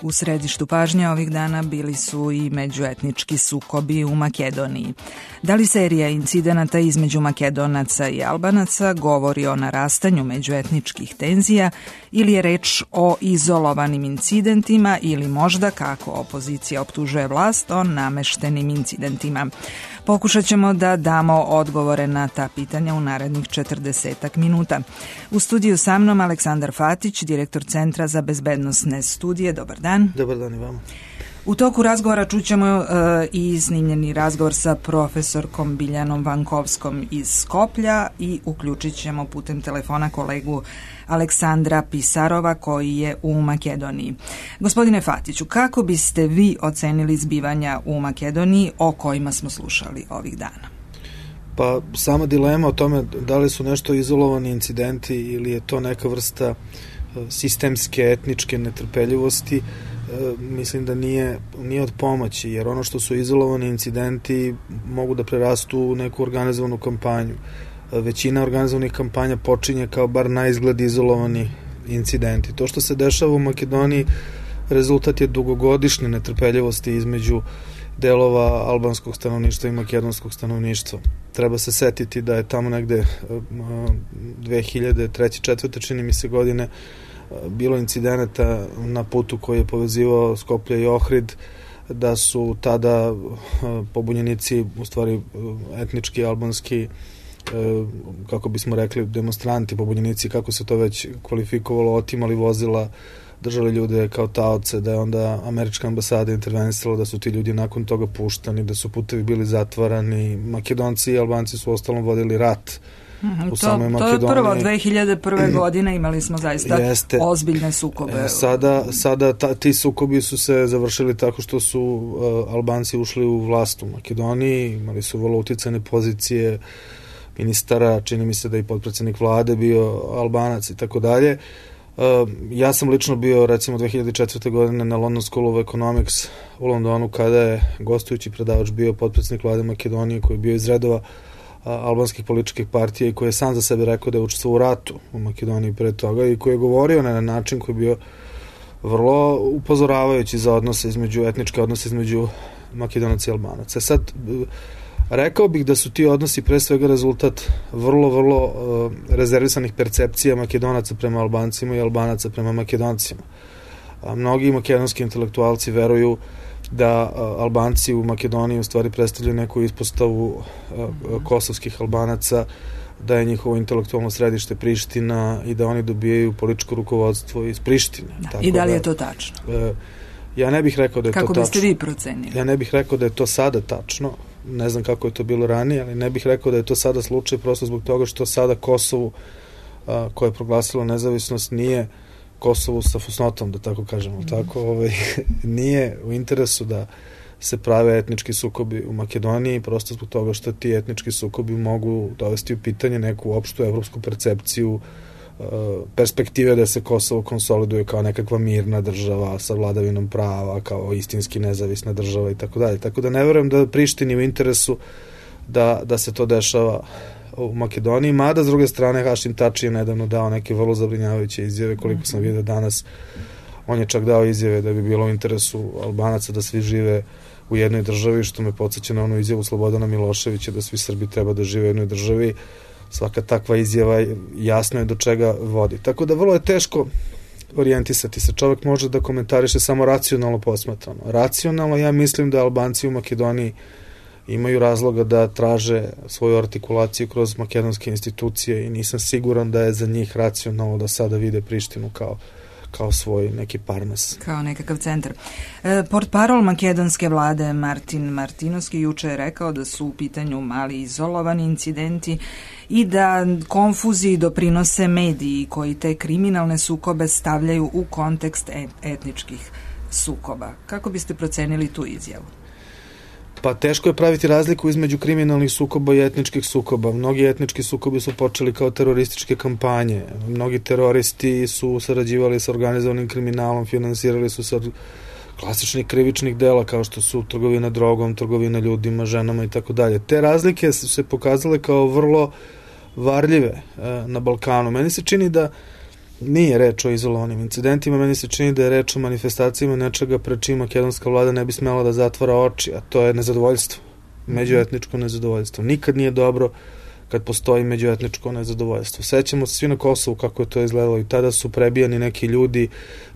U središtu pažnje ovih dana bili su i međuetnički sukobi u Makedoniji. Da li serija incidenata između Makedonaca i Albanaca govori o narastanju međuetničkih tenzija ili je reč o izolovanim incidentima ili možda, kako opozicija optužuje vlast, o nameštenim incidentima? Pokušat ćemo da damo odgovore na ta pitanja u narednih 40 minuta. U studiju sa mnom Aleksandar Fatić, direktor Centra za bezbednosne studije. Dobar dan. Dobar dan i vama. U toku razgovora čućemo i snimljeni razgovor sa profesorkom Biljanom Vankovskom iz Skoplja i uključit ćemo putem telefona kolegu Aleksandra Pisarova koji je u Makedoniji. Gospodine Fatiću, kako biste vi ocenili zbivanja u Makedoniji o kojima smo slušali ovih dana? Pa sama dilema o tome da li su nešto izolovani incidenti ili je to neka vrsta sistemske etničke netrpeljivosti, mislim da nije od pomoći, jer ono što su izolovani incidenti mogu da prerastu u neku organizovanu kampanju. Većina organizovanih kampanja počinje kao bar na izgled izolovani incidenti. To što se dešava u Makedoniji rezultat je dugogodišnje netrpeljivosti između delova albanskog stanovništva i makedonskog stanovništva. Treba se setiti da je tamo negde 2003-2004. čini mi se godine bilo incidenata na putu koji je povezivao Skoplje i Ohrid, da su tada pobunjenici, u stvari etnički albanski, kako bismo rekli, demonstranti, pobunjenici, kako se to već kvalifikovalo, otimali vozila, držali ljude kao taoce, da je onda američka ambasada intervenisala, da su ti ljudi nakon toga puštani, da su putevi bili zatvarani. Makedonci i Albanci su ostalom vodili rat u samoj Makedoniji. To je prvo 2001. godine imali smo zaista ozbiljne sukobe. Sada ti sukobi su se završili tako što su Albanci ušli u vlast u Makedoniji, imali su vrlo uticajne pozicije ministara, čini mi se da i potpredsednik vlade bio Albanac i tako dalje. Ja sam lično bio recimo 2004. godine na London School of Economics u Londonu, kada je gostujući predavač bio potpredsednik vlade Makedonije koji je bio iz redova albanskih političkih partija i koji je sam za sebe rekao da je učestvovao u ratu u Makedoniji pre toga i koji je govorio na način koji je bio vrlo upozoravajući za etničke odnose između Makedonaca i Albanaca. Sad, rekao bih da su ti odnosi pre svega rezultat vrlo rezervisanih percepcija Makedonaca prema Albancima i Albanaca prema Makedoncima. Mnogi makedonski intelektualci veruju da Albanci u Makedoniji u stvari predstavljaju neku ispostavu kosovskih Albanaca, da je njihovo intelektualno središte Priština i da oni dobijaju političko rukovodstvo iz Prištine. I da li je to tačno? Ja ne bih rekao da je to tačno. Kako biste vi procenili? Ja ne bih rekao da je to sada tačno. Ne znam kako je to bilo ranije, ali ne bih rekao da je to sada slučaj, prosto zbog toga što sada Kosovu, koje je proglasilo nezavisnost, nije Kosovu sa fusnotom, da tako kažemo, nije u interesu da se prave etnički sukobi u Makedoniji, prosto zbog toga što ti etnički sukobi mogu dovesti u pitanje neku opštu evropsku percepciju perspektive da se Kosovo konsoliduje kao nekakva mirna država sa vladavinom prava, kao istinski nezavisna država i tako dalje. Tako da ne verujem da Prištini u interesu da se to dešava u Makedoniji, mada s druge strane Hašim Tači je nedavno dao neke vrlo zabrinjavajuće izjave, koliko sam vidio danas. On je čak dao izjave da bi bilo u interesu Albanaca da svi žive u jednoj državi, što me podsjeća na onu izjavu Slobodana Miloševića da svi Srbi treba da žive u jednoj državi. Svaka takva izjava jasno je do čega vodi. Tako da vrlo je teško orijentisati se. Čovjek može da komentariše samo racionalno posmatrano. Racionalno ja mislim da Albanci u Makedoniji imaju razloga da traže svoju artikulaciju kroz makedonske institucije i nisam siguran da je za njih racionalno da sada vide Prištinu kao svoj neki parmes. Kao nekakav centar. Portparol makedonske vlade Martin Martinovski juče je rekao da su u pitanju mali izolovani incidenti i da konfuziji doprinose mediji koji te kriminalne sukobe stavljaju u kontekst etničkih sukoba. Kako biste procenili tu izjavu? Pa teško je praviti razliku između kriminalnih sukoba i etničkih sukoba. Mnogi etnički sukobi su počeli kao terorističke kampanje. Mnogi teroristi su sarađivali sa organizovanim kriminalom, finansirali su se od klasičnih krivičnih dela kao što su trgovina drogom, trgovina ljudima, ženama i tako dalje. Te razlike su se pokazale kao vrlo varljive na Balkanu. Meni se čini da Nije reč o izolovanim incidentima, meni se čini da je reč o manifestacijama nečega pred čim makedonska vlada ne bi smela da zatvara oči, a to je nezadovoljstvo, međuetničko nezadovoljstvo. Nikad nije dobro kad postoji međuetničko nezadovoljstvo. Sećamo se svi na Kosovu kako je to izgledalo i tada su prebijani neki ljudi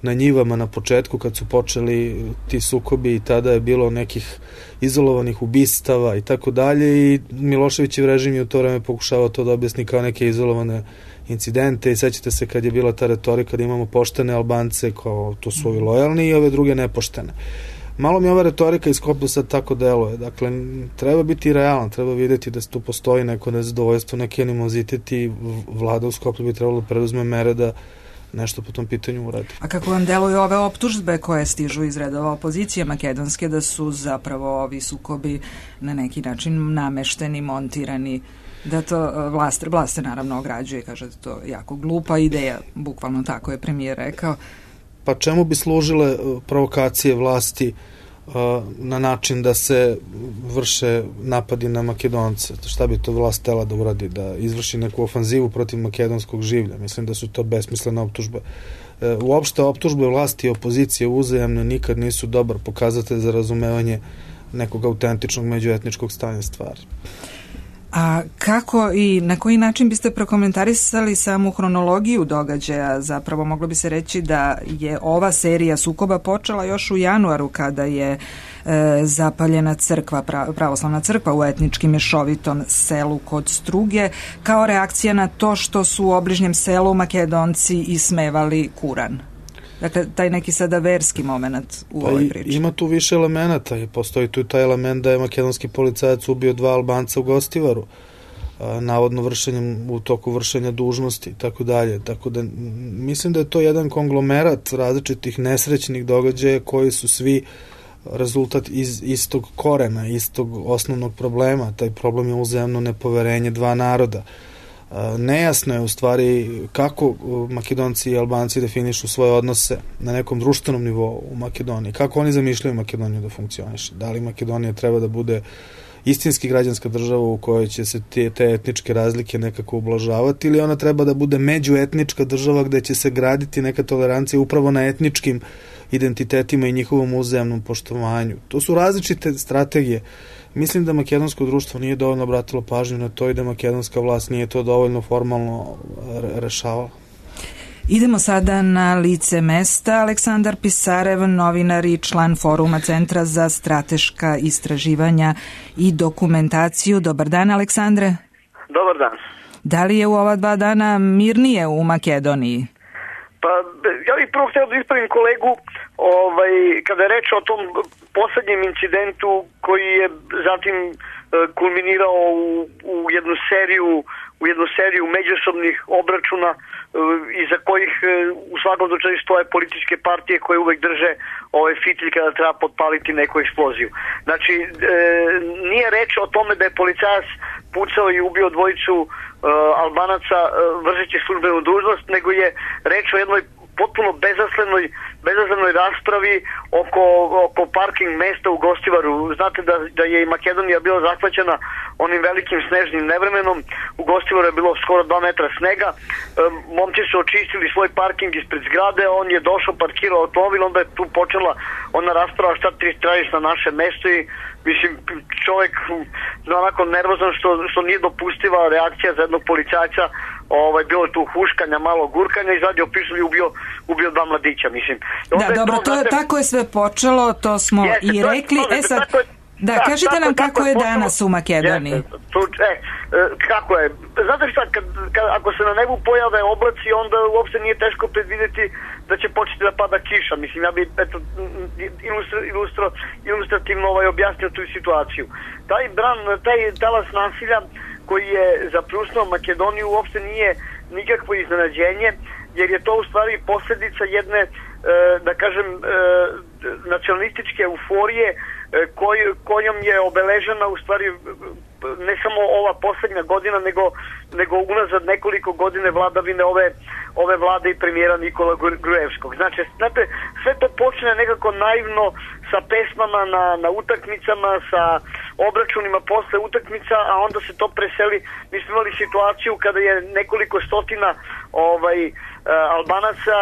na njivama na početku kad su počeli ti sukobi i tada je bilo nekih izolovanih ubistava i tako dalje i Miloševićev režim je u to vreme pokušavao to da objasni kao neke izolovane incidente i sećate se kad je bila ta retorika da imamo poštene Albance kao to su ovi lojalni i ove druge nepoštene. Malo mi ova retorika iz Skoplja sad tako deluje. Dakle, treba biti realan, treba videti da tu postoji neko nezadovoljstvo, neki animozitet i vlada u Skoplju bi trebalo da preduzme mere da nešto po tom pitanju uradi. A kako vam deluju ove optužbe koje stižu iz redova opozicije makedonske da su zapravo ovi sukobi na neki način namešteni, montirani, da to vlast se naravno ograđuje i kaže da to je jako glupa ideja, bukvalno tako je premijer rekao. Pa čemu bi služile provokacije vlasti na način da se vrše napadi na Makedonce? Šta bi to vlast htela da uradi? Da izvrši neku ofanzivu protiv makedonskog življa? Mislim da su to besmislene optužbe. Uopšte optužbe vlasti i opozicije uzajamne nikad nisu dobar pokazatelj za razumevanje nekog autentičnog međuetničkog stanja stvari. A kako i na koji način biste prokomentarisali samu hronologiju događaja? Zapravo moglo bi se reći da je ova serija sukoba počela još u januaru kada je zapaljena crkva, pravoslavna crkva u etnički mješovitom selu kod Struge kao reakcija na to što su u obližnjem selu Makedonci ismevali Kuran. Dakle, taj neki sada verski moment u ovoj priči. Ima tu više elemenata i postoji tu taj element da je makedonski policajac ubio 2 Albanca u Gostivaru, navodno u toku vršenja dužnosti i tako dalje. Tako da mislim da je to jedan konglomerat različitih nesrećnih događaja koji su svi rezultat iz istog korena, istog osnovnog problema. Taj problem je uzajamno nepoverenje 2 naroda. Nejasno je u stvari kako Makedonci i Albanci definišu svoje odnose na nekom društvenom nivou u Makedoniji. Kako oni zamišljaju Makedoniju da funkcioniše? Da li Makedonija treba da bude istinski građanska država u kojoj će se te etničke razlike nekako ublažavati ili ona treba da bude međuetnička država gde će se graditi neka tolerancija upravo na etničkim identitetima i njihovom uzajamnom poštovanju? To su različite strategije. Mislim da makedonsko društvo nije dovoljno obratilo pažnju na to i da makedonska vlast nije to dovoljno formalno rešavala. Idemo sada na lice mesta. Aleksandar Pisarev, novinar i član Foruma Centra za strateška istraživanja i dokumentaciju. Dobar dan, Aleksandre. Dobar dan. Da li je u ova 2 dana mirnije u Makedoniji? Pa ja bih prvo htio da ispravim kolegu kada je reč o tom poslednjem incidentu koji je zatim kulminirao u jednu seriju međusobnih obračuna iza kojih u svakom slučaju stoje političke partije koje uvek drže fitilj kada treba potpaliti neku eksploziju. Znači, nije reč o tome da je policajac pucao i ubio 2 Albanaca vršeći službenu dužnost, nego je reč o jednoj potpuno bezazlenoj raspravi oko parking mesta u Gostivaru. Znate da je i Makedonija bila zahvaćena onim velikim snežnim nevremenom. U Gostivaru je bilo skoro 2 metra snega. Momci su očistili svoj parking ispred zgrade, on je došao, parkirao automobil, onda je tu počela ona rasprava šta ti tražiš na naše mesto i mislim, čovjek onako nervozan što nije dopustiva reakcija za jednog policajca. Bilo je tu huškanja, malo gurkanja, izvadio pištolj i ubio 2 mladića, mislim. Da, dobro, tako je sve počelo, to smo i rekli. Kažite nam kako je danas u Makedoniji. Kako je? Znate šta, ako se na nebu pojave oblaci, onda uopšte nije teško predvideti da će početi da pada kiša. Mislim, ja bih ilustrativno objasnio tu situaciju. Taj talas nasilja koji je zapljusnuo Makedoniju uopšte nije nikakvo iznenađenje, jer je to u stvari posljedica jedne, da kažem, nacionalističke euforije kojom je obeležena u stvari ne samo ova poslednja godina, nego unazad nekoliko godine vladavine ove vlade i premijera Nikola Gruevskog. Znači, znate, sve to počne nekako naivno sa pesmama na utakmicama, sa obračunima posle utakmica, a onda se to preseli. Mi smo imali situaciju kada je nekoliko stotina Albanaca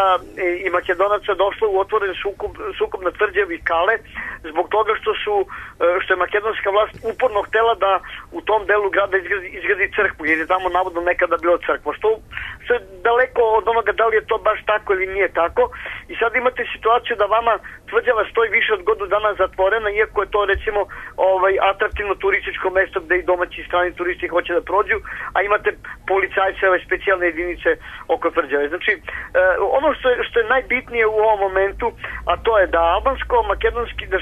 i Makedonaca došlo u otvoren sukob na tvrđavi Kale zbog toga što je makedonska vlast uporno htela da u tom delu grada izgradi crkvu, jer je tamo navodno nekada bila crkva, što je daleko od onoga da li je to baš tako ili nije tako. I sad imate situaciju da vama tvrđava stoji više od godinu dana zatvorena, iako je to recimo atraktivno turističko mesto gde i domaći i strani turisti hoće da prođu, a imate policajce, specijalne jedinice oko tvrđave. Znači, ono što je najbitnije u ovom momentu, a to je da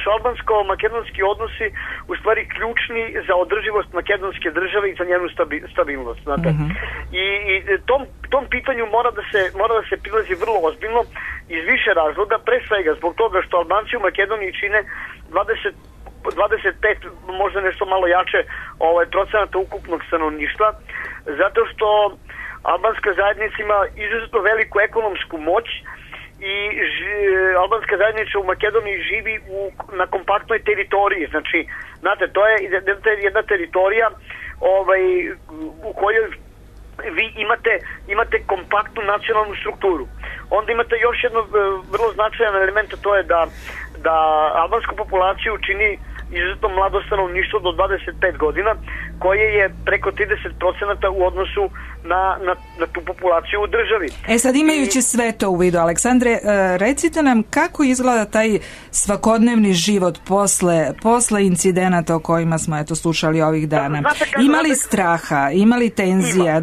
su albansko-makedonski odnosi u stvari ključni za održivost makedonske države i za njenu stabilnost. Znate. I tom pitanju mora da se prilazi vrlo ozbiljno iz više razloga, pre svega zbog toga što Albanci u Makedoniji čine 25, možda nešto malo jače procenata ukupnog stanovništva, zato što albanska zajednica ima izuzetno veliku ekonomsku moć i albanska zajednica u Makedoniji živi na kompaktnoj teritoriji. Znači, znate, to je jedna teritorija u kojoj vi imate kompaktnu nacionalnu strukturu. Onda imate još jedno vrlo značajan element, a to je da albansku populaciju čini izuzetno mlado stanovništvo do 25 godina, koje je preko 30% u odnosu na tu populaciju u državi. Sad imajući sve to u vidu, Aleksandre, recite nam kako izgleda taj svakodnevni život posle incidenata o kojima smo slušali ovih dana. Ima li straha, ima li tenzija,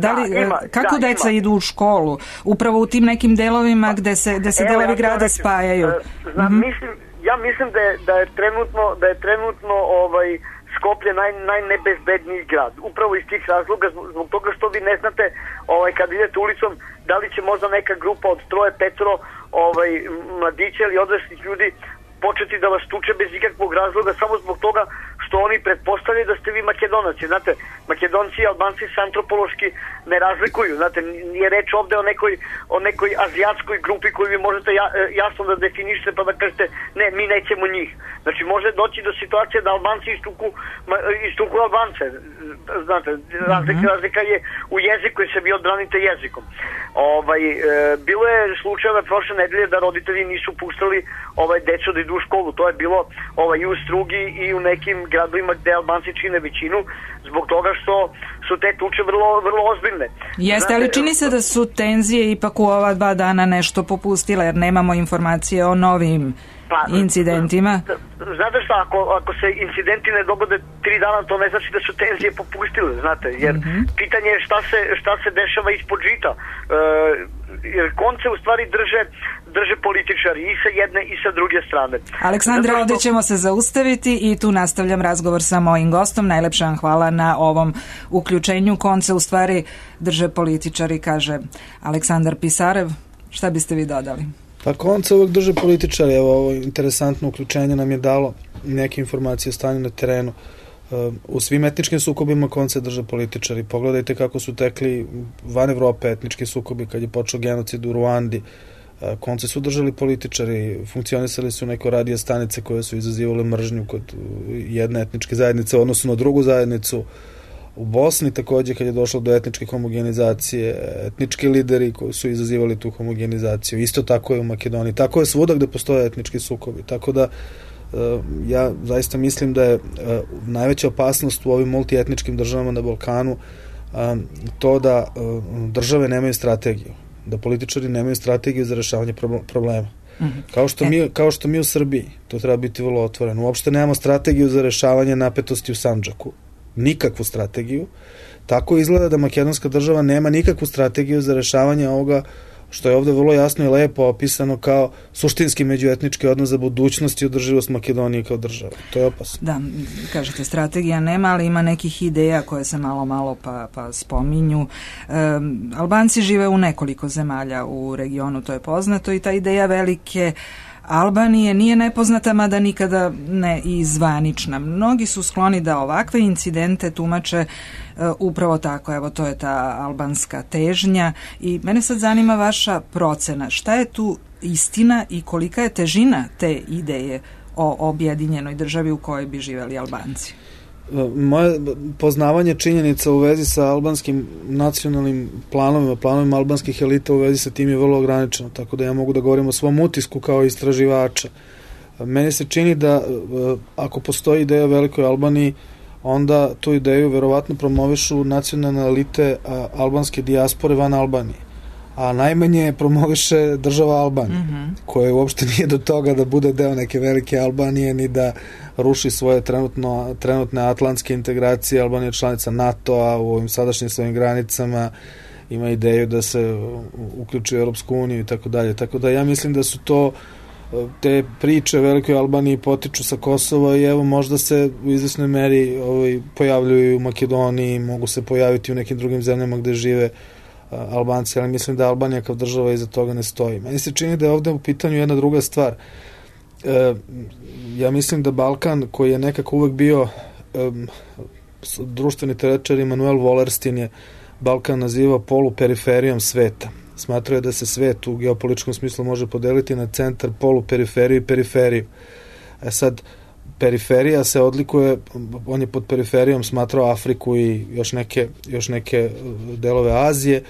kako deca idu u školu, upravo u tim nekim delovima gde se delovi grada spajaju? Ja mislim da je trenutno Skoplje najnebezbedniji grad. Upravo iz tih razloga, zbog toga što vi ne znate kad idete ulicom da li će možda neka grupa od 3-5 mladića ili odraslih ljudi početi da vas tuče bez ikakvog razloga samo zbog toga što oni pretpostavljaju da ste vi Makedonaci. Znate, Makedonci i Albanci se antropološki ne razlikuju. Znate, nije reč ovde o nekoj azijatskoj grupi koju vi možete jasno da definišete pa da kažete ne, mi nećemo njih. Znači, može doći do situacije da Albanci istuku Albance. Znate, razlika je u jeziku i se vi odbranite jezikom. Bilo je slučajeva prošle nedelje da roditelji nisu puštali decu da idu u školu. To je bilo i u Strugi i u nekim gradovima gde Albanci čine većinu, zbog toga što su te tuče vrlo ozbiljne. Jeste, ali čini se da su tenzije ipak u ova 2 dana nešto popustile, jer nemamo informacije o novim incidentima. Znate šta, ako se incidenti ne dogode 3 dana, to ne znači da su tenzije popustile, znate, jer pitanje je šta se dešava ispod žita. Jer konce u stvari drže političari i sa jedne i sa druge strane. Aleksandre, ovdje ćemo se zaustaviti i tu nastavljam razgovor sa mojim gostom. Najlepša vam hvala na ovom uključenju. Konce u stvari drže političari, kaže Aleksandar Pisarev. Šta biste vi dodali? Pa konce uvek drže političari. Evo, ovo interesantno uključenje nam je dalo neke informacije o stanju na terenu. U svim etničkim sukobima konce drže političari. Pogledajte kako su tekli van Evrope etnički sukobi kad je počeo genocid u Ruandi. Konce su držali političari, funkcionisali su neke radio stanice koje su izazivale mržnju kod jedne etničke zajednice u odnosu na drugu zajednicu. U Bosni takođe kad je došlo do etničke homogenizacije, etnički lideri koji su izazivali tu homogenizaciju. Isto tako je u Makedoniji. Tako je svuda gde postoje etnički sukobi. Tako da ja zaista mislim da je najveća opasnost u ovim multietničkim državama na Balkanu to da države nemaju strategiju, da političari nemaju strategiju za rešavanje problema. Kao što mi u Srbiji, to treba biti vrlo otvoreno. Uopšte nemamo strategiju za rešavanje napetosti u Sandžaku. Nikakvu strategiju. Tako izgleda da makedonska država nema nikakvu strategiju za rešavanje ovoga što je ovde vrlo jasno i lepo opisano kao suštinski međuetnički odnos za budućnost i održivost Makedonije kao države. To je opasno. Da, kažete, strategija nema, ali ima nekih ideja koje se malo pa spominju. Albanci žive u nekoliko zemalja u regionu, to je poznato, i ta ideja velike Albanije nije nepoznata, mada nikada ne i zvanična. Mnogi su skloni da ovakve incidente tumače upravo tako. Evo, to je ta albanska težnja i mene sad zanima vaša procena. Šta je tu istina i kolika je težina te ideje o objedinjenoj državi u kojoj bi živeli Albanci? Moje poznavanje činjenica u vezi sa albanskim nacionalnim planovima albanskih elita u vezi sa tim je vrlo ograničeno, tako da ja mogu da govorim o svom utisku kao istraživača. Meni se čini da ako postoji ideja o velikoj Albaniji, onda tu ideju verovatno promovišu nacionalne elite albanske dijaspore van Albanije. A najmanje promoviše država Albanije, koja uopšte nije do toga da bude deo neke velike Albanije, ni da ruši svoje trenutne atlantske integracije. Albanija je članica NATO-a u ovim sadašnjim svojim granicama, ima ideju da se uključi u Europsku uniju i tako dalje. Tako da ja mislim da su to te priče o velikoj Albaniji potiču sa Kosova i evo možda se u izvesnoj meri pojavljuju u Makedoniji, mogu se pojaviti u nekim drugim zemljama gde žive Albanci, ali mislim da Albanija kao država iza toga ne stoji. Meni se čini da je ovde u pitanju jedna druga stvar. Ja mislim da Balkan, koji je nekako uvek bio društveni teoretičar Immanuel Wallerstein je Balkan nazivao poluperiferijom sveta. Smatrao je da se svet u geopolitičkom smislu može podeliti na centar, poluperiferiju i periferiju. Sad, periferija se odlikuje, on je pod periferijom smatrao Afriku i još neke delove Azije.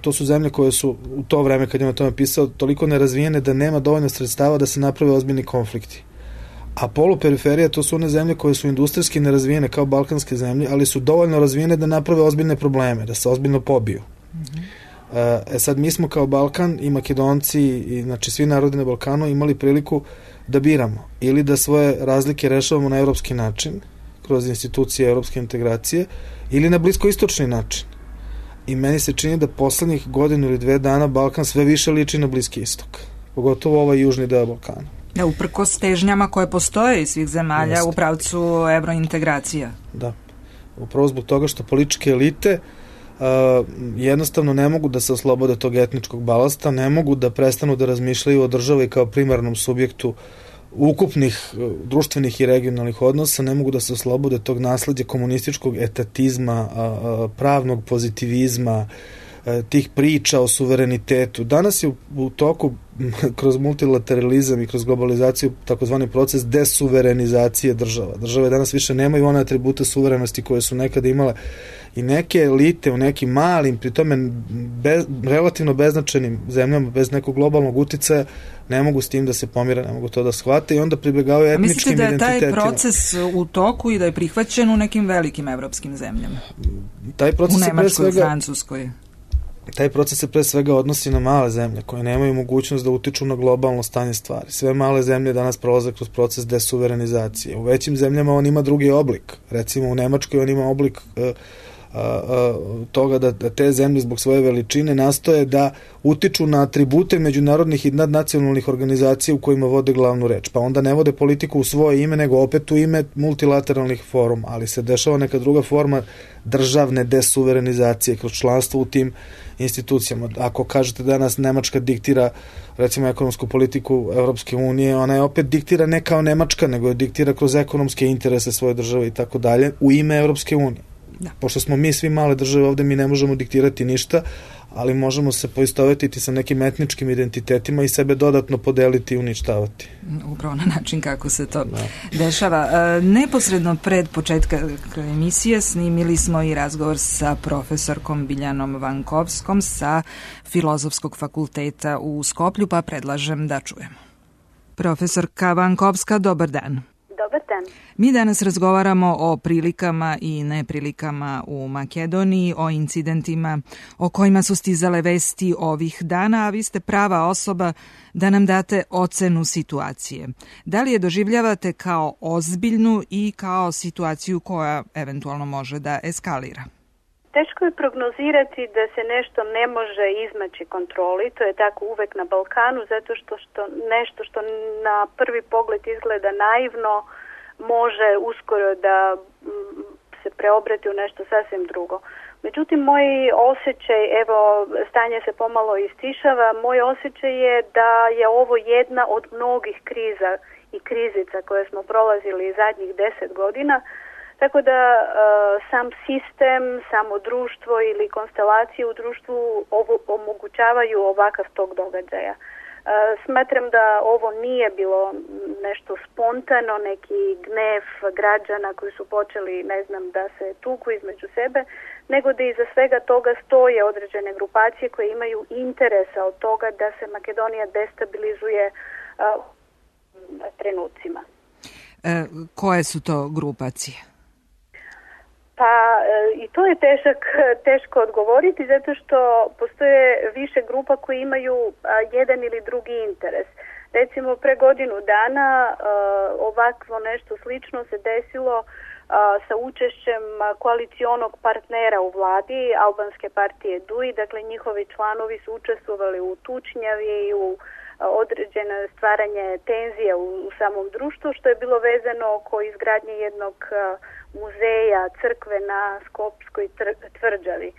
To su zemlje koje su u to vreme kad je o tome pisao toliko nerazvijene da nema dovoljno sredstava da se naprave ozbiljni konflikti. A poluperiferija to su one zemlje koje su industrijski nerazvijene kao balkanske zemlje, ali su dovoljno razvijene da naprave ozbiljne probleme, da se ozbiljno pobiju. Sad mi smo kao Balkan i Makedonci i znači svi narodi na Balkanu imali priliku da biramo ili da svoje razlike rešavamo na evropski način kroz institucije evropske integracije ili na bliskoistočni način. I meni se čini da poslednjih godinu ili 2 dana Balkan sve više liči na Bliski istok, pogotovo ovaj južni deo Balkana. Uprkos težnjama koje postoje iz svih zemalja u pravcu evrointegracija. Da, upravo zbog toga što političke elite jednostavno ne mogu da se oslobode tog etničkog balasta, ne mogu da prestanu da razmišljaju o državi kao primarnom subjektu ukupnih društvenih i regionalnih odnosa, ne mogu da se oslobode tog nasleđa komunističkog etatizma, pravnog pozitivizma, tih priča o suverenitetu. Danas je u toku kroz multilateralizam i kroz globalizaciju takozvani proces desuverenizacije država. Države danas više nemaju one atribute suverenosti koje su nekada imale i neke elite u nekim malim, pri tome relativno beznačajnim zemljama, bez nekog globalnog uticaja, ne mogu s tim da se pomire, ne mogu to da shvate i onda pribegavaju etničkim identitetima. Mislite da je taj proces u toku i da je prihvaćen u nekim velikim evropskim zemljama? U Nemačkoj, u Francuskoj? Taj proces se pre svega odnosi na male zemlje koje nemaju mogućnost da utiču na globalno stanje stvari. Sve male zemlje danas prolaze kroz proces desuverenizacije. U većim zemljama on ima drugi oblik. Recimo u Nemačkoj on ima oblik toga da te zemlje zbog svoje veličine nastoje da utiču na atribute međunarodnih i nadnacionalnih organizacija u kojima vode glavnu reč. Pa onda ne vode politiku u svoje ime, nego opet u ime multilateralnih foruma, ali se dešava neka druga forma državne desuverenizacije kroz članstvo u tim institucijama. Ako kažete danas Nemačka diktira recimo ekonomsku politiku Evropske unije, ona je opet diktira ne kao Nemačka, nego je diktira kroz ekonomske interese svoje države i tako dalje u ime Evropske unije. Da. Pošto smo mi svi male države ovde, mi ne možemo diktirati ništa, ali možemo se poistovetiti sa nekim etničkim identitetima i sebe dodatno podeliti i uništavati. Upravo na način kako se to dešava. Neposredno pred početka emisije snimili smo i razgovor sa profesorkom Biljanom Vankovskom sa Filozofskog fakulteta u Skoplju, pa predlažem da čujemo. Profesorka Vankovska, dobar dan. Dobar dan. Mi danas razgovaramo o prilikama i neprilikama u Makedoniji, o incidentima o kojima su stizale vesti ovih dana, a vi ste prava osoba da nam date ocenu situacije. Da li je doživljavate kao ozbiljnu i kao situaciju koja eventualno može da eskalira? Teško je prognozirati da se nešto ne može izmaći kontroli, to je tako uvek na Balkanu, zato što nešto što na prvi pogled izgleda naivno može uskoro da se preobrati u nešto sasvim drugo. Međutim, moj osjećaj, evo, stanje se pomalo istišava, moj osjećaj je da je ovo jedna od mnogih kriza i krizica koje smo prolazili zadnjih 10 godina, tako da sam sistem, samo društvo ili konstelacije u društvu omogućavaju ovakav tok događaja. Smatram da ovo nije bilo nešto spontano, neki gnev građana koji su počeli, da se tuku između sebe, nego da iza svega toga stoje određene grupacije koje imaju interesa od toga da se Makedonija destabilizuje trenucima. Koje su to grupacije? Pa i to je teško odgovoriti zato što postoje više grupa koji imaju jedan ili drugi interes. Recimo pre godinu dana ovakvo nešto slično se desilo sa učešćem koalicionog partnera u vladi albanske partije DUI, dakle njihovi članovi su učestvovali u tučnjavi i u određeno stvaranje tenzija u samom društvu, što je bilo vezano oko izgradnje jednog muzeja, crkve na Skopskoj tvrđavi.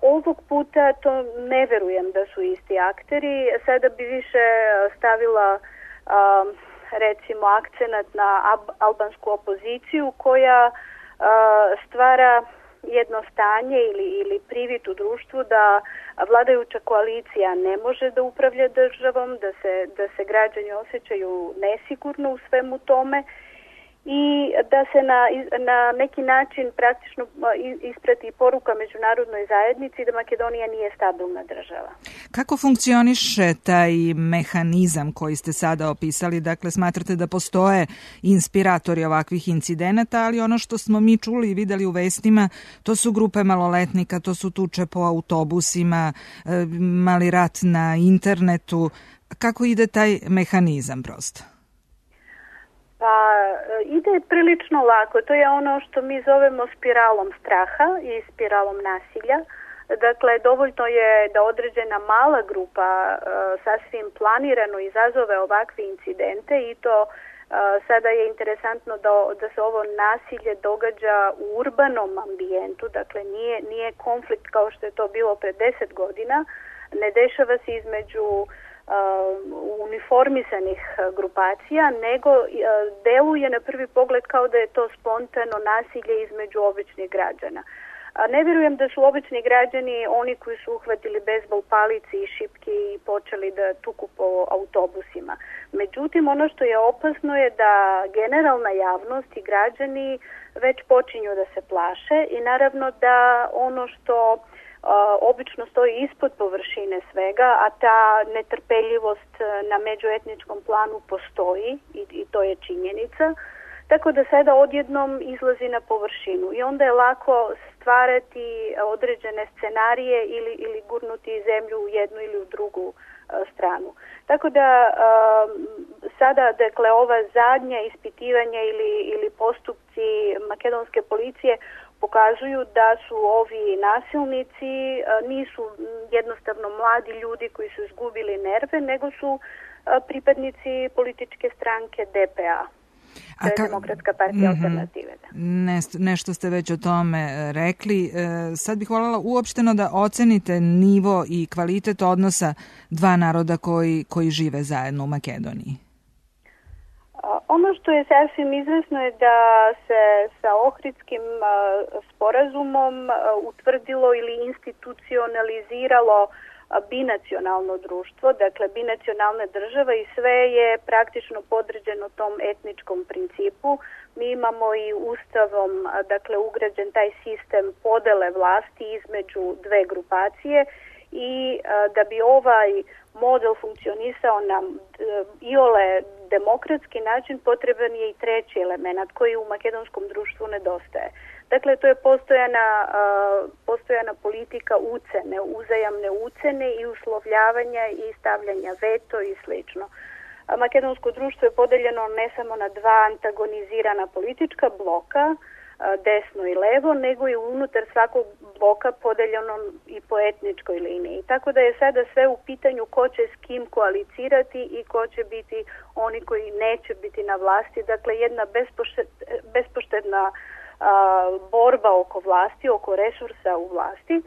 Ovog puta to ne verujem da su isti akteri. Sada bi više stavila recimo akcenat na albansku opoziciju koja stvara jedno stanje ili privid u društvu da vladajuća koalicija ne može da upravlja državom, da se građani osjećaju nesigurno u svemu tome i da se na neki način praktično isprati poruka međunarodnoj zajednici da Makedonija nije stabilna država. Kako funkcioniše taj mehanizam koji ste sada opisali? Dakle, smatrate da postoje inspiratori ovakvih incidenata, ali ono što smo mi čuli i videli u vestima, to su grupe maloletnika, to su tuče po autobusima, mali rat na internetu. Kako ide taj mehanizam prosto? Pa ide prilično lako. To je ono što mi zovemo spiralom straha i spiralom nasilja. Dakle, dovoljno je da određena mala grupa sasvim planirano izazove ovakve incidente i to sada je interesantno da se ovo nasilje događa u urbanom ambijentu. Dakle, nije konflikt kao što je to bilo pre 10 godina. Ne dešava se između uniformisanih grupacija, nego deluje na prvi pogled kao da je to spontano nasilje između običnih građana. Ne vjerujem da su obični građani oni koji su uhvatili bejzbol palici i šipke i počeli da tuku po autobusima. Međutim, ono što je opasno je da generalna javnost i građani već počinju da se plaše i naravno da ono što obično stoji ispod površine svega, a ta netrpeljivost na međuetničkom planu postoji i to je činjenica, tako da sada odjednom izlazi na površinu i onda je lako stvarati određene scenarije ili gurnuti zemlju u jednu ili u drugu stranu. Tako da sada, dakle, ova zadnja ispitivanja ili postupci makedonske policije pokazuju da su ovi nasilnici nisu jednostavno mladi ljudi koji su izgubili nerve, nego su pripadnici političke stranke DPA. To je Demokratska partija alternative. Nešto ste već o tome rekli. Sad bih voljela uopšteno da ocenite nivo i kvalitet odnosa dva naroda koji žive zajedno u Makedoniji. Ono što je sasvim izvesno je da se sa Ohridskim sporazumom utvrdilo ili institucionaliziralo binacionalno društvo, dakle binacionalna država i sve je praktično podređeno tom etničkom principu. Mi imamo i ustavom, dakle, ugrađen taj sistem podele vlasti između dve grupacije i da bi ovaj model funkcionisao na iole demokratski način potreban je i treći element koji u makedonskom društvu nedostaje. Dakle, to je postojana politika ucene, uzajamne ucene i uslovljavanja i stavljanja veto i slično. Makedonsko društvo je podeljeno ne samo na dva antagonizirana politička bloka, desno i levo, nego i unutar svakog bloka podeljeno i po etničkoj liniji. Tako da je sada sve u pitanju ko će s kim koalicirati i ko će biti oni koji neće biti na vlasti. Dakle, jedna bespoštedna borba oko vlasti, oko resursa u vlasti.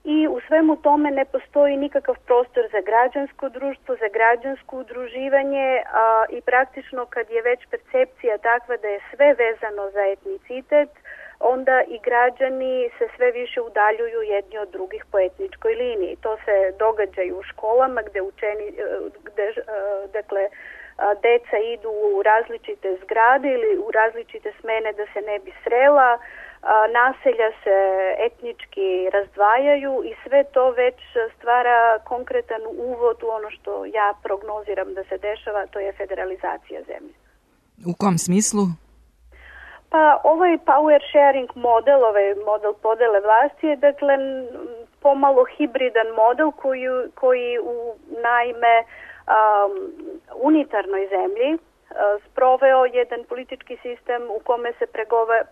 I u svemu tome ne postoji nikakav prostor za građansko društvo, za građansko udruživanje i praktično kad je već percepcija takva da je sve vezano za etnicitet, onda i građani se sve više udaljuju jedni od drugih po etničkoj liniji. To se događa i u školama gde deca idu u različite zgrade ili u različite smene da se ne bi srela, naselja se etnički razdvajaju i sve to već stvara konkretan uvod u ono što ja prognoziram da se dešava, to je federalizacija zemlje. U kom smislu? Pa ovaj power sharing model, ovaj model podele vlasti je dakle pomalo hibridan model koji u naime unitarnoj zemlji sproveo jedan politički sistem u kome se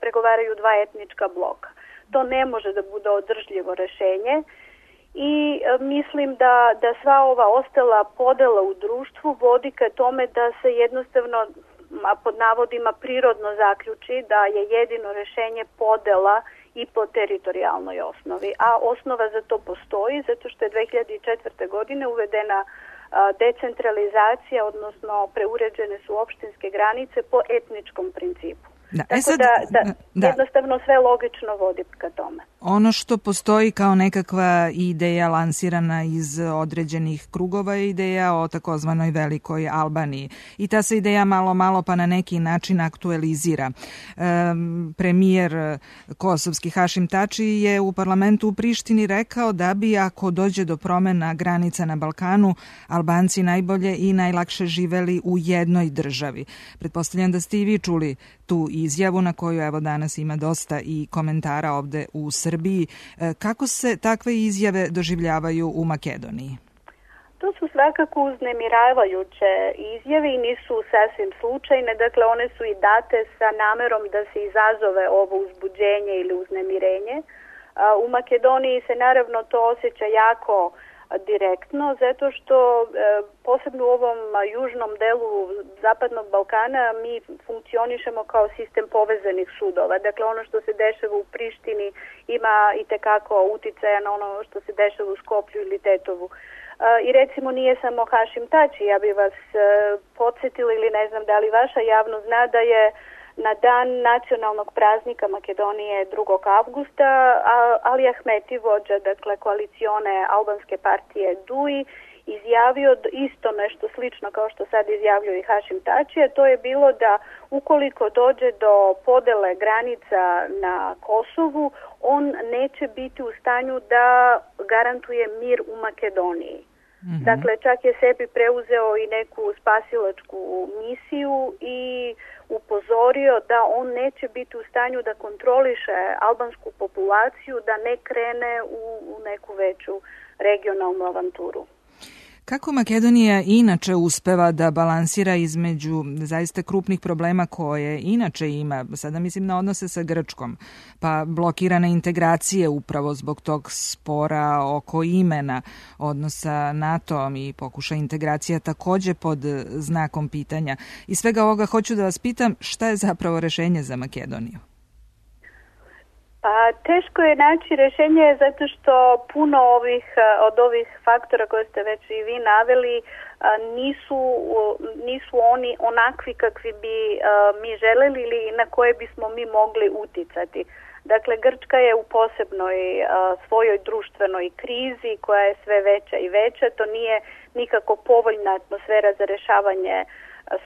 pregovaraju dva etnička bloka. To ne može da bude održljivo rešenje i mislim da sva ova ostala podela u društvu vodi ka tome da se jednostavno pod navodima prirodno zaključi da je jedino rešenje podela i po teritorijalnoj osnovi. A osnova za to postoji zato što je 2004. godine uvedena decentralizacija, odnosno preuređene su opštinske granice po etničkom principu. Jednostavno sve logično vodi ka tome. Ono što postoji kao nekakva ideja lansirana iz određenih krugova je ideja o takozvanoj velikoj Albaniji. I ta se ideja malo pa na neki način aktualizira. Premijer kosovski Hašim Tači je u parlamentu u Prištini rekao da bi ako dođe do promena granica na Balkanu, Albanci najbolje i najlakše živeli u jednoj državi. Pretpostavljam da ste i vi čuli tu izjavu na koju evo danas ima dosta i komentara ovde u Srbiji. Kako se takve izjave doživljavaju u Makedoniji? To su svakako uznemiravajuće izjave i nisu sasvim slučajne. Dakle, one su i date sa namerom da se izazove ovo uzbuđenje ili uznemirenje. U Makedoniji se naravno to osjeća jako direktno, zato što posebno u ovom južnom delu Zapadnog Balkana mi funkcionišemo kao sistem povezanih sudova. Dakle, ono što se dešava u Prištini ima i tekako uticaja na ono što se dešava u Skoplju ili Tetovu. I recimo nije samo Hašim Tači, ja bih vas podsjetila ili ne znam da li vaša javnost zna da je na dan nacionalnog praznika Makedonije 2. avgusta Ali Ahmeti, vođa dakle koalicione albanske partije DUI, izjavio isto nešto slično kao što sad izjavljuje i Hašim Tači, a to je bilo da ukoliko dođe do podele granica na Kosovu, on neće biti u stanju da garantuje mir u Makedoniji. Mm-hmm. Dakle, čak je sebi preuzeo i neku spasilačku misiju i upozorio da on neće biti u stanju da kontroliše albansku populaciju, da ne krene u neku veću regionalnu avanturu. Kako Makedonija inače uspeva da balansira između zaista krupnih problema koje inače ima, sada mislim na odnose sa Grčkom, pa blokirane integracije upravo zbog tog spora oko imena, odnosa NATO-om i pokušaja integracija takođe pod znakom pitanja. I svega ovoga hoću da vas pitam šta je zapravo rešenje za Makedoniju? Pa teško je naći rešenje zato što puno od ovih faktora koje ste već i vi naveli nisu oni onakvi kakvi bi mi želeli ili na koje bismo mi mogli uticati. Dakle, Grčka je u posebnoj svojoj društvenoj krizi koja je sve veća i veća. To nije nikako povoljna atmosfera za rešavanje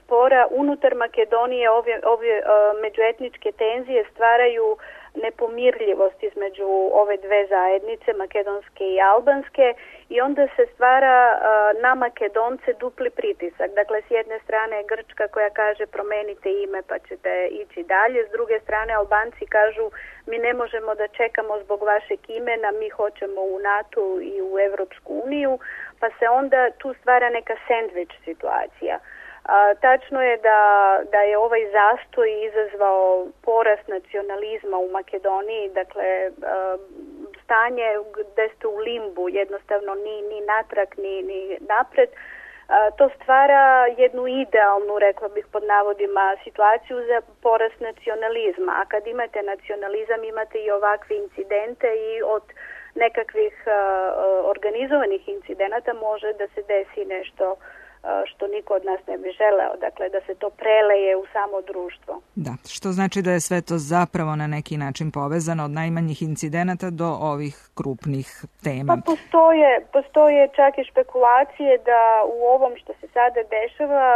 spora. Unutar Makedonije ove međuetničke tenzije stvaraju nepomirljivost između ove dve zajednice, makedonske i albanske, i onda se stvara na Makedonce dupli pritisak. Dakle, s jedne strane Grčka koja kaže promenite ime pa ćete ići dalje, s druge strane Albanci kažu mi ne možemo da čekamo zbog vašeg imena, mi hoćemo u NATO i u Evropsku uniju, pa se onda tu stvara neka sendvič situacija. Tačno je da je ovaj zastoj izazvao porast nacionalizma u Makedoniji, dakle stanje gde ste u limbu, jednostavno ni natrag ni napred. To stvara jednu idealnu, rekla bih pod navodima, situaciju za porast nacionalizma. A kad imate nacionalizam, imate i ovakve incidente i od nekakvih organizovanih incidenata može da se desi nešto što niko od nas ne bi želeo, dakle da se to preleje u samo društvo. Da, što znači da je sve to zapravo na neki način povezano od najmanjih incidenata do ovih krupnih tema. Pa postoje čak i špekulacije da u ovom što se sada dešava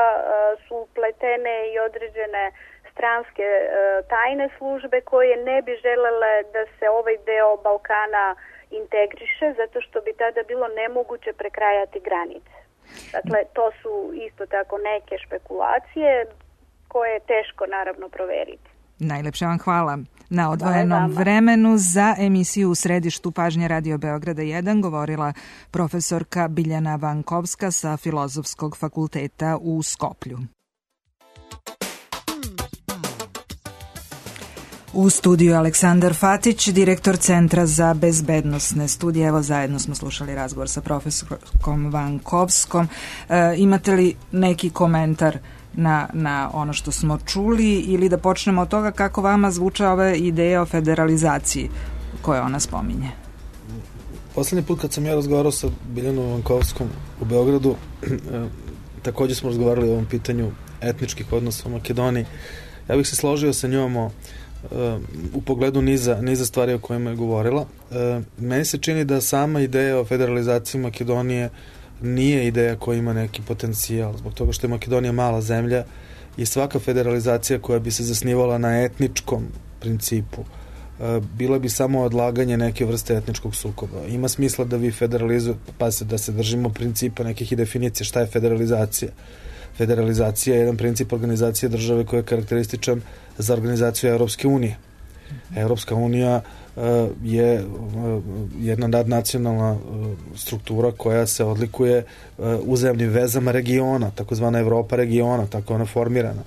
su upletene i određene stranske tajne službe koje ne bi želele da se ovaj deo Balkana integriše, zato što bi tada bilo nemoguće prekrajati granice. Dakle, to su isto tako neke špekulacije koje je teško naravno proveriti. Najlepše vam hvala na odvojenom vremenu. Za emisiju U središtu pažnje Radio Beograda 1 govorila profesorka Biljana Vankovska sa Filozofskog fakulteta u Skoplju. U studiju Aleksandar Fatić, direktor Centra za bezbednosne studije. Evo, zajedno smo slušali razgovor sa profesorkom Vankovskom. Imate li neki komentar na ono što smo čuli ili da počnemo od toga kako vama zvuče ove ideje o federalizaciji koje ona spominje? Poslednji put kad sam ja razgovarao sa Biljanom Vankovskom u Beogradu, takođe smo razgovarali o ovom pitanju etničkih odnosa u Makedoniji. Ja bih se složio sa njom u pogledu niza stvari o kojima je govorila. Meni se čini da sama ideja o federalizaciji Makedonije nije ideja koja ima neki potencijal, zbog toga što je Makedonija mala zemlja i svaka federalizacija koja bi se zasnivala na etničkom principu bila bi samo odlaganje neke vrste etničkog sukoba. Ima smisla da vi federalizujete, pa da se držimo principa nekih i definicija šta je federalizacija. Federalizacija je jedan princip organizacije države koji je karakterističan za organizaciju Europske unije. Europska unija je jedna nadnacionalna struktura koja se odlikuje uzajamnim vezama regiona, takozvana Evropa regiona, tako ona formirana.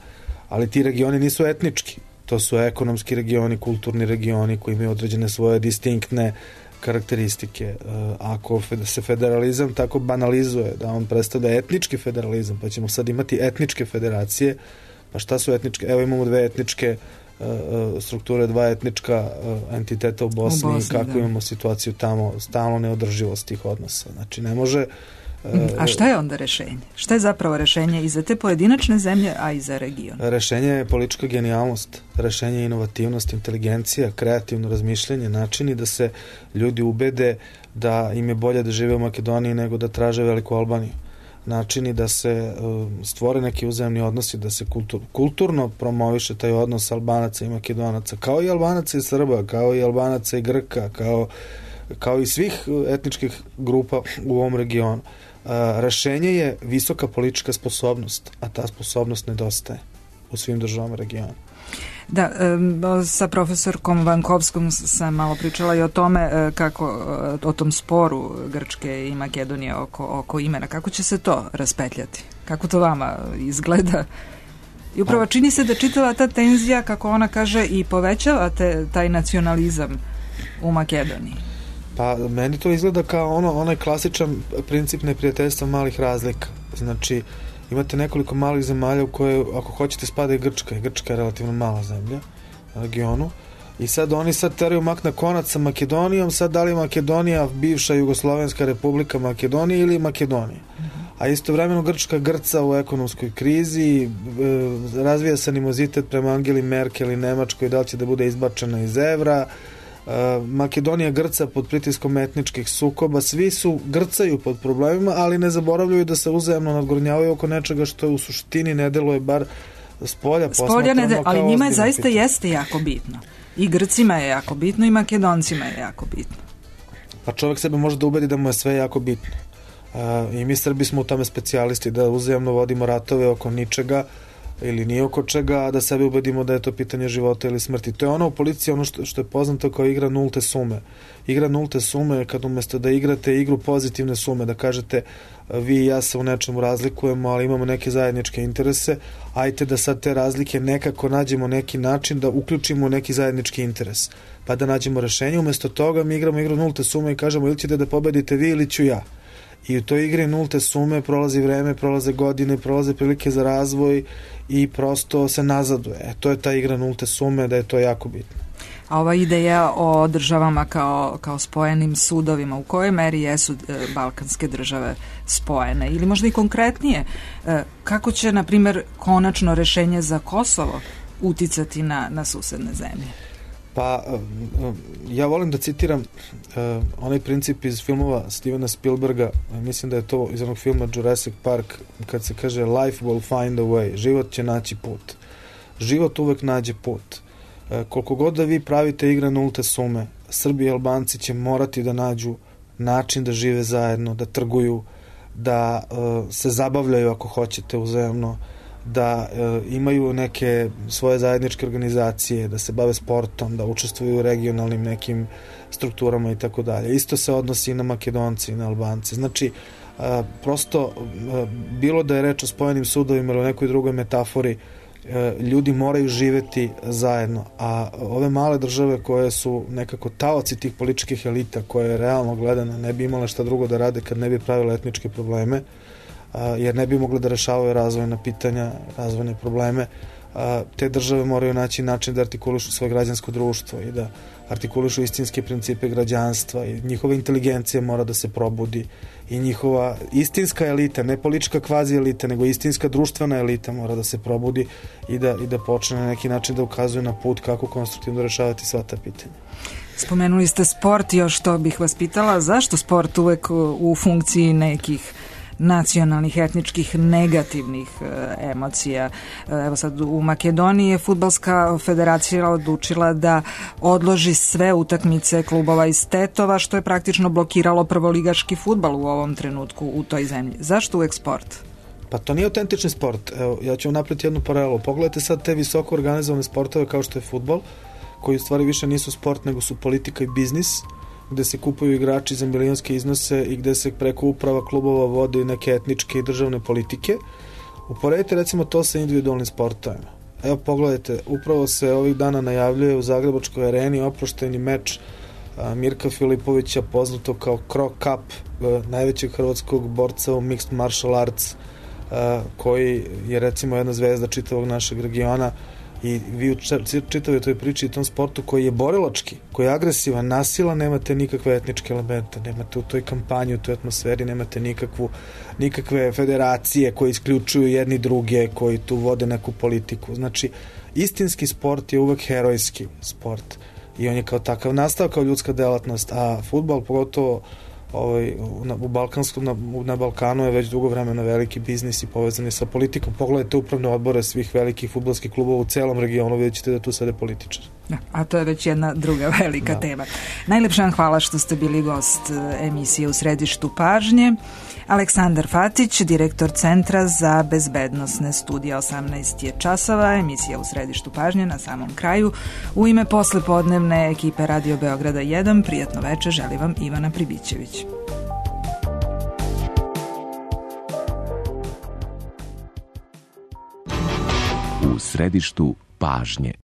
Ali ti regioni nisu etnički. To su ekonomski regioni, kulturni regioni koji imaju određene svoje distinktne karakteristike. Ako se federalizam tako banalizuje da on predstavlja etnički federalizam, pa ćemo sad imati etničke federacije, pa šta su etničke? Evo imamo dve etničke strukture, dva etnička entiteta u Bosni i kako imamo situaciju tamo, stalno neodrživost tih odnosa. Znači ne može... A šta je onda rešenje? Šta je zapravo rešenje i za te pojedinačne zemlje, a i za region? Rešenje je politička genijalnost, rešenje je inovativnost, inteligencija, kreativno razmišljanje, načini da se ljudi ubede da im je bolje da žive u Makedoniji nego da traže Veliku Albaniju. Načini da se stvore neki uzajamni odnosi, da se kulturno promoviše taj odnos Albanaca i Makedonaca, kao i Albanaca i Srba, kao i Albanaca i Grka, kao i svih etničkih grupa u ovom regionu. Rešenje je visoka politička sposobnost, a ta sposobnost nedostaje u svim državama regiona. Da, sa profesorkom Vankovskom sam malo pričala i o tome kako, o tom sporu Grčke i Makedonije oko imena. Kako će se to raspetljati? Kako to vama izgleda? I upravo čini se da čitava ta tenzija, kako ona kaže, i povećava taj nacionalizam u Makedoniji. Pa meni to izgleda kao onaj klasičan princip neprijateljstva malih razlika. Znači, imate nekoliko malih zemalja u koje, ako hoćete, spada i Grčka. Grčka je relativno mala zemlja na regionu. I sad oni teraju mak na konac sa Makedonijom. Sad da li je Makedonija bivša Jugoslovenska republika Makedonije ili Makedonija? A istovremeno Grčka grca u ekonomskoj krizi, razvija se animozitet prema Angeli Merkel i Nemačkoj, da li će da bude izbačena iz evra. Makedonija grca pod pritiskom etničkih sukoba, svi grcaju pod problemima, ali ne zaboravljaju da se uzajamno nadgornjavaju oko nečega što u suštini ne deluje bar spolja posmatrano, ali njima je zaista jeste jako bitno. I Grcima je jako bitno i Makedoncima je jako bitno. Pa čovjek sebe može da ubedi da mu je sve jako bitno. I mi Srbi smo u tome specijalisti, da uzajamno vodimo ratove oko ničega ili nije oko čega, a da sebi ubedimo da je to pitanje života ili smrti. To je ono u policiji, ono što je poznato kao igra nulte sume. Igra nulte sume je kad umjesto da igrate igru pozitivne sume, da kažete vi i ja se u nečemu razlikujemo, ali imamo neke zajedničke interese, ajte da sad te razlike nekako nađemo neki način da uključimo neki zajednički interes, pa da nađemo rešenje. Umjesto toga mi igramo igru nulte sume i kažemo ili ćete da pobedite vi ili ću ja. I u toj igri nulte sume prolazi vreme, prolaze godine, prolaze prilike za razvoj i prosto se nazaduje. To je ta igra nulte sume, da je to jako bitno. A ova ideja o državama kao spojenim sudovima, u kojoj meri jesu balkanske države spojene? Ili možda i konkretnije, kako će, na primjer, konačno rešenje za Kosovo uticati na susedne zemlje? Pa, ja volim da citiram onaj princip iz filmova Stevena Spielberga, mislim da je to iz onog filma Jurassic Park, kad se kaže life will find a way, život će naći put. Život uvek nađe put. Koliko god da vi pravite igre nulte sume, Srbi i Albanci će morati da nađu način da žive zajedno, da trguju, da se zabavljaju ako hoćete uzajamno, da imaju neke svoje zajedničke organizacije, da se bave sportom, da učestvuju u regionalnim nekim strukturama i tako dalje. Isto se odnosi i na Makedonci i na Albance. Znači, prosto, bilo da je reč o spojenim sudovima ili o nekoj drugoj metafori, ljudi moraju živeti zajedno, a ove male države koje su nekako taoci tih političkih elita, koje realno gledano ne bi imale šta drugo da rade kad ne bi pravile etničke probleme, jer ne bi mogli da rešavaju razvojna pitanja, razvojne probleme, te države moraju naći način da artikulišu svoje građansko društvo i da artikulišu istinske principe građanstva i njihova inteligencija mora da se probudi i njihova istinska elita, ne politička kvazi elita, nego istinska društvena elita mora da se probudi i da počne na neki način da ukazuje na put kako konstruktivno rešavati sva ta pitanja. Spomenuli ste sport, još što bih vas pitala, zašto sport uvek u funkciji nekih nacionalnih, etničkih, negativnih emocija? Evo sad u Makedoniji je fudbalska federacija odlučila da odloži sve utakmice klubova iz Tetova, što je praktično blokiralo prvoligaški fudbal u ovom trenutku u toj zemlji. Zašto uvek sport? Pa to nije autentični sport. Evo, ja ću vam napraviti jednu paralelu. Pogledajte sad te visoko organizovane sportove kao što je fudbal, koji u stvari više nisu sport, nego su politika i biznis, gde se kupuju igrači za milionske iznose i gde se preko uprava klubova vode neke etničke i državne politike. Uporedite recimo to sa individualnim sportovima. Evo pogledajte, upravo se ovih dana najavljuje u Zagrebačkoj areni oproštajni meč Mirka Filipovića, poznato kao Kro Cup, najvećeg hrvatskog borca u Mixed Martial Arts, koji je recimo jedna zvezda čitavog našeg regiona. I vi u čitavoj toj priči i tom sportu koji je borilački, koji je agresivan, nasilan, nemate nikakve etničke elemente, nemate u toj kampanji, u toj atmosferi, nemate nikakve federacije koje isključuju jedni druge, koji tu vode neku politiku. Znači, istinski sport je uvek herojski sport i on je kao takav nastao kao ljudska delatnost, a fudbal, pogotovo na Balkanu je već dugo vremena veliki biznis i povezan je sa politikom. Pogledajte upravne odbore svih velikih fudbalskih klubova u celom regionu, vidjet ćete da tu sede političari. A to je već jedna druga velika tema. Najlepša vam hvala što ste bili gost emisije U središtu pažnje. Aleksandar Fatić, direktor Centra za bezbednosne studije. 18 je časova, emisija U središtu pažnje na samom kraju. U ime poslepodnevne ekipe Radio Beograda 1, prijatno večer, želi vam Ivana Pribićević. U središtu pažnje.